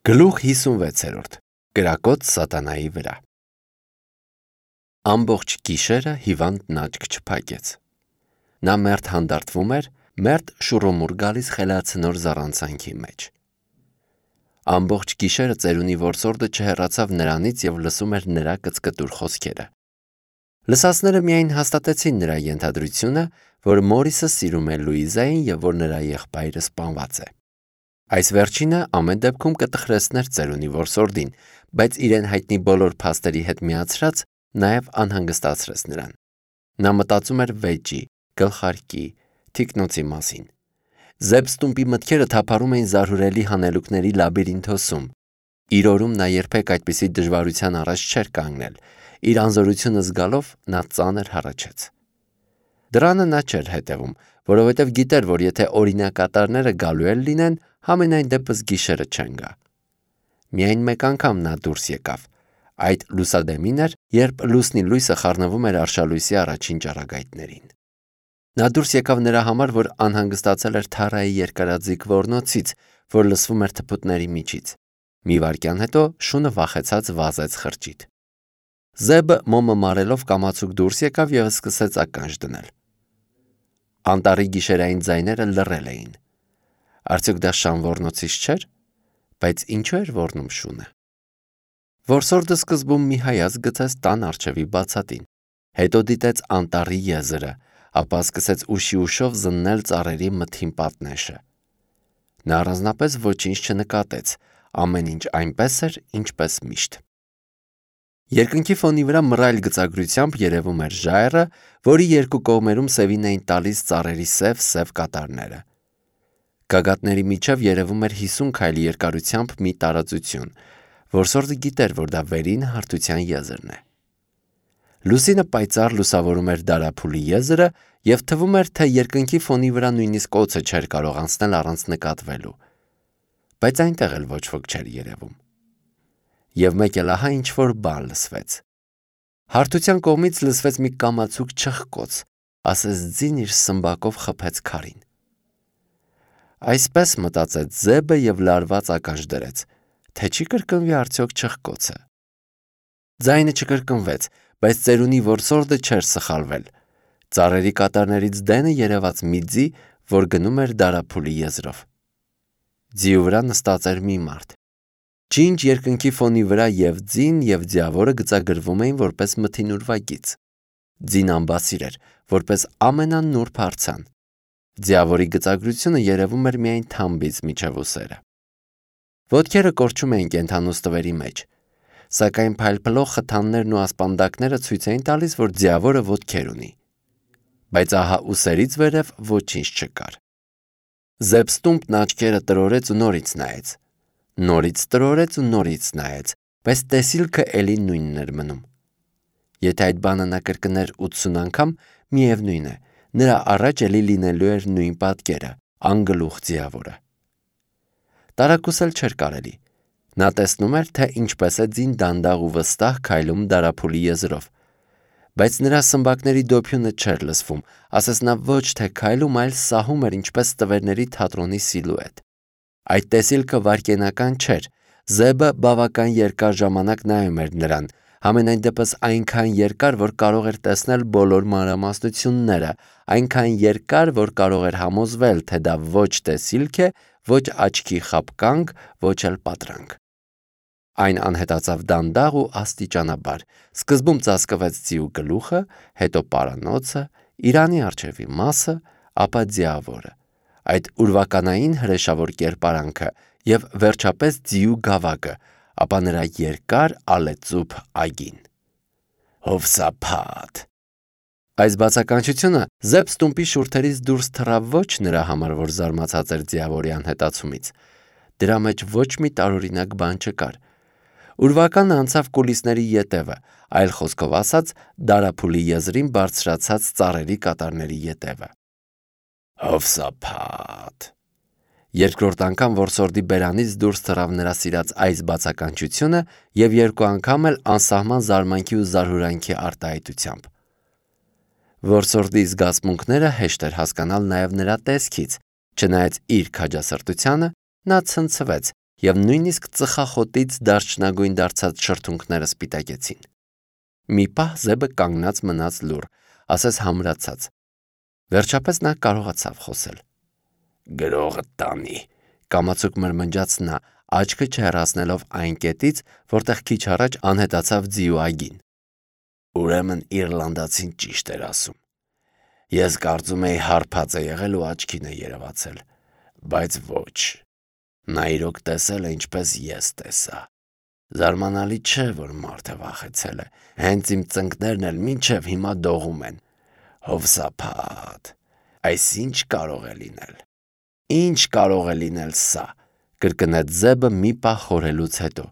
Գլուխ 56 Կրակոտ սատանայի վրա Ամբողջ գիշերը հիվանդն աչք չփակեց։ Նա մերթ հանդարտվում էր, մերթ շուռումուռ գալիս խելացնոր զառանցանքի մեջ։ Ամբողջ գիշերը ծերունի որսորդը չհեռացավ նրանից և լսում էր նրա կծկտուր խոսքերը։ Լսածները միայն հաստատեցին նրա ենթադրությունը, որ Մորիսը սիրում է Լուիզային և որ նրա եղբայրը սպանված է։ Այս վերջինը ամեն դեպքում կտխրեցներ ծերունի որսորդին, բայց իրեն հայտնի բոլոր փաստերի հետ միացրած նաև անհանգստացրեց նրան։ Նա մտածում էր վեճի, գլխարկի, թիկնոցի մասին։ Զեբստումպի մտքերը թափառում էին զարհուրելի հանելուկների լաբիրինթոսում։ Իր օրում նա երբեք այդպիսի դժվարության առաջ չէր կանգնել։ Իր անզորությունը զգալով նա ծանր հառաչեց։ Դրանը նա չէր հետևում, որովհետև գիտեր, որ եթե օրինակատարները գալու էլ լինեն, համենայն դեպս գիշերը չեն գա։ Միայն մեկ անգամ նա դուրս եկավ։ Այդ լուսադեմին էր, երբ լուսնի լույսը խառնվում էր արշալույսի առաջին ճառագայթներին։ Նա դուրս եկավ նրա համար, որ անհանգստացել էր թառայի երկարաձիգ ոռնոցից, որ լսվում էր թփուտների միջից։ Մի վայրկյան հետո շունը վախեցած վազեց խրճիթ։ Զեբը մոմը մարելով կամացուկ դուրս եկավ և սկսեց ականջ դնել։ Անտառի գիշերային ձայները լռել էին։ Արդյոք դա շան ոռնոցից չէր, բայց ինչու էր ոռնում շունը։ Որսորդը սկզբում մի հայացք գցեց տան առջևի բացատին, հետո դիտեց անտառի եզրը, ապա սկսեց ուշի ուշով զննել ծառերի մթին պատնեշը։ Նա առանձնապես ոչինչ չնկատեց, ամեն ինչ այնպես էր, ինչպես միշտ։ Երկնքի ֆոնի վրա մռայլ գծագրությամբ երևում էր ժայռը, որի երկու կողմերում սևին էին տալիս ծառերի սև կատարները։ Գագաթների միջև երևում էր 50 քայլ երկարությամբ մի տարածություն, որսորդը գիտեր, որ դա վերին հարթության եզրն է։ Լուսինը պայծառ լուսավորում էր դարափուլի եզրը և թվում էր, թե երկնքի ֆոնի վրա նույնիսկ օձը չէր կարող անցնել առանց նկատվելու, բայց այնտեղ էլ ոչ ոք չէր երևում։ Եվ մեկ էլ ահա ինչ-որ բան լսվեց։ Հարթության կողմից լսվեց մի կամացուկ չխկոց, ասես ձին իր սմբակով խփեց քարին։ Այսպես մտածեց Զեբը և լարված ականջ դրեց, թե չի կրկնվի արդյոք չխկոցը։ Ձայնը չկրկնվեց, բայց ծերունի որսորդը չէր սխալվել։ Ծառերի կատարներից դենը երևաց մի ձի, որ գնում էր դարափուլի եզրով։ Ձիու վրա նստած էր մի մարդ։ Ջինջ երկնքի ֆոնի վրա և ձին և ձիավորը գծագրվում էին որպես մթին ուրվագիծ։ Ձին ամբասիր էր, որպես ամենանուրբ արձան։ Ձիավորի գծագրությունը երևում էր միայն թամբից մինչև ուսերը։ Ոտքերը կորչում էին կենդանուց տվերի մեջ, սակայն փայլփլող խթաններն ու ասպանդակները ցույց էին տալիս, որ ձիավորը ոտքեր ունի։ Բայց ահա ուսերից վերև ոչինչ չկար։ Զեբստումպն աչքերը տրորեց ու նորից նայեց։ Նորից տրորեց ու նորից նայեց, բայց տեսիլքը էլի նույնն էր մնում։ Եթե այդ բանը նա կրկներ 80 անգամ, միևնույն է, նրա առաջ էլի լինելու էր նույն պատկերը՝ անգլուխ ձիավորը։ Տարակուսել չէր կարելի։ Նա տեսնում էր, թե ինչպես է ձին դանդաղ ու վստահ քայլում դարափուլի եզրով, բայց նրա սմբակների դոփյունը չէր լսվում, ասես նա ոչ թե քայլում, այլ սահում էր ինչպես տվերների թատրոնի սիլուետ։ Այդ տեսիլքը վայրկենական չէր։ Զեբը բավական երկար ժամանակ նայում էր նրան, համենայն դեպս այնքան երկար, որ կարող էր տեսնել բոլոր մանրամասնությունները, այնքան երկար, որ կարող էր համոզվել, թե դա ոչ տեսիլք է, ոչ աչքի խաբկանք, ոչ էլ պատրանք։ Այն անհետացավ դանդաղ ու աստիճանաբար։ Սկզբում ծածկվեց ձիու գլուխը, հետո պարանոցը, իրանի առջևի մասը, ապա ձիավորը, այդ ուրվականային հրեշավոր կերպարանքը և վերջապես ձիու գավակը, ապա նրա երկար ալեծուփ այգին։ Հովսափատ։ Այս բացականչությունը Զեբստումպի շուրթերից դուրս թռավ ոչ նրա համար, որ զարմացած էր ձիավորի անհետացումից։ Դրա մեջ ոչ մի տարօրինակ բան չկար։ Ուրվականը անցավ կուլիսների ետևը, այլ խոսքով ասած, դարափուլի եզրին բարձրացած ծառերի կատարների ետևը։ Հովսափատ։ Երկրորդ անգամ որսորդի բերանից դուրս թռավ նրա սիրած այս բացականչությունը և երկու անգամ էլ անսահման զարմանքի ու զարհուրանքի արտահայտությամբ։ Որսորդի զգացմունքները հեշտ էր հասկանալ նաև նրա տեսքից, չնայած իր քաջասրտությանը նա ցնցվեց և նույնիսկ ծխախոտից դարչնագույն դարձած շրթունքները սպիտակեցին։ Մի պահ Զեբը կանգնած մնաց լուռ, ասես համրացած։ Վերջապես նա կարողացավ խոսել։ «Գրողը տանի», կամացուկ մրմնջաց նա, աչքը չհեռացնելով այն կետից, որտեղ քիչ առաջ անհետացավ ձիու այգին։ Ուրեմն իռլանդացին ճիշտ էր ասում։ Ես կարծում էի հարբած է եղել ու աչքին է երևացել, բայց ոչ։ Նա իրոք տեսել է, ինչպես ես տեսա։ Զարմանալի չէ, որ մարդը վախեցել է, հենց իմ ծնկներն էլ մինչև հիմա դողում են։ Հովսափատ, այս ինչ կարող է լինել։ Ինչ կարող է լինել սա, կրկնեց Զեբը մի պահ խորհելուց հետո։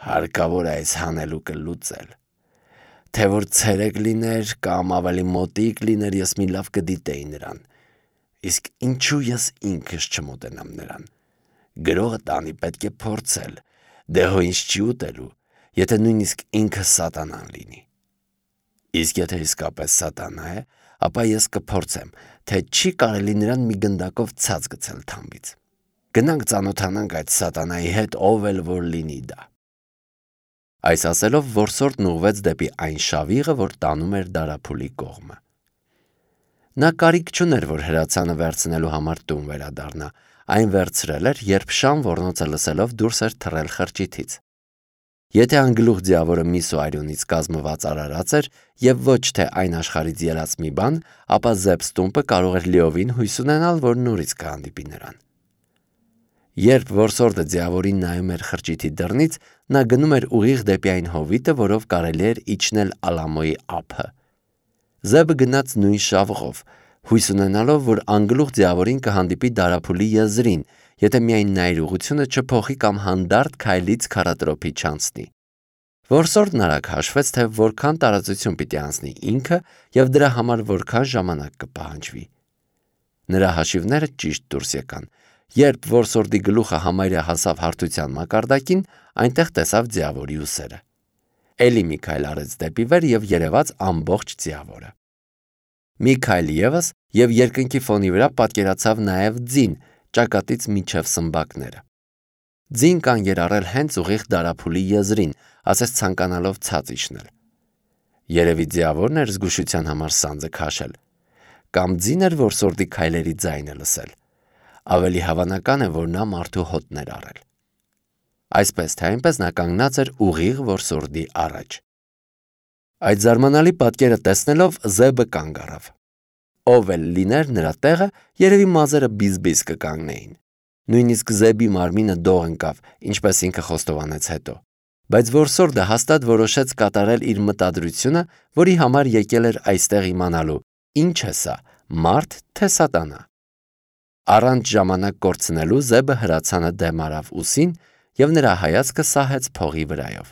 Հարկավոր է այս հանելուկը լուծել։ Թե որ ցերեկ լիներ կամ ավելի մոտիկ լիներ, ես մի լավ կդիտեի նրան։ Իսկ ինչու ես ինքս չմոտենամ նրան։ Գրողը տանի պետք է փորձել, դե հո ինչ չի ուտելու, եթե նույնիսկ ինքը սատանան լինի։ Իսկ եթե իսկապես սատանա է, ապա ես կփորձեմ, թե չի կարելի նրան մի գնդակով ցած գցել թամբից։ Գնանք ծանոթանանք այդ սատանայի հետ, ով էլ որ լինի դա։ Այս ասելով որսորդն ուղղվեց դեպի այն շավիղը, որ տանում էր դարափուլի կողմը։ Նա կարիք չուներ, որ հրացանը վերցնելու համար տուն վերադառնա, այն վերցրել էր, երբ շան ոռնոցը լսելով դուրս էր թռել խրճիթից։ Եթե անգլուխ ձիավորը միս ու այրունից կազմված արարած էր և ոչ թե այն աշխարհից ելած մի բան, ապա Զեբստումպը կարող էր լիովին հույս ունենալ, որ նորից կհանդիպի նրան։ Երբ որսորդը ձիավորին նայում էր խրճիթի դռնից, նա գնում էր ուղիղ դեպի այն հովիտը, որով կարելի էր իջնել Ալամոյի ափը։ Զեբը գնաց նույն շավղով, հույս ունենալով, որ անգլուխ ձիավորին կհանդիպի դարափուլի եզրին, եթե միայն նա իր ուղղությունը չփոխի կամ հանդարտ քայլից քառատրոփի չանցնի։ Որսորդն արագ հաշվեց, թե որքան տարածություն պիտի անցնի ինքը և դրա համար որքան ժամանակ կպահանջվի։ Նրա հաշիվները ճիշտ դուրս եկան։ Երբ որսորդի գլուխը համարյա հասավ հարթության մակարդակին, այնտեղ տեսավ ձիավորի ուսերը։ Էլի մի քայլ արեց դեպի վեր և երևաց ամբողջ ձիավորը։ Մի քայլ ևս և երկնքի ֆոնի վրա պատկերացավ նաև ձին, ճակատից մինչև սմբակները։ Ձին կանգ էր առել հենց ուղիղ դարափուլի եզրին, ասես ցանկանալով ցած իջնել։ Երևի ձիավորն էր զգուշության համար սանձը քաշել։ Կամ ձին էր որսորդի քայլերի ձայնը լսել։ Ավելի հավանական է, որ նա մարդու հոտն էր առել։ Այսպես թե այնպես նա կանգնած էր ուղիղ որսորդի առաջ։ Այդ զարմանալի պատկերը տեսնելով Զեբը կանգ առավ։ Ով էլ լիներ նրա տեղը, երևի մազերը բիզ-բիզ կկանգնեին։ Նույնիսկ Զեբի մարմինը դող ընկավ, ինչպես ինքը խոստովանեց հետո։ Բայց որսորդը հաստատ որոշեց կատարել իր մտադրությունը, որի համար եկել էր այստեղ իմանալու, ինչ է սա, մարդ թե սատանա։ Առանց ժամանակ կորցնելու Զեբը հրացանը դեմ արավ ուսին և նրա հայացքը սահեց փողի վրայով։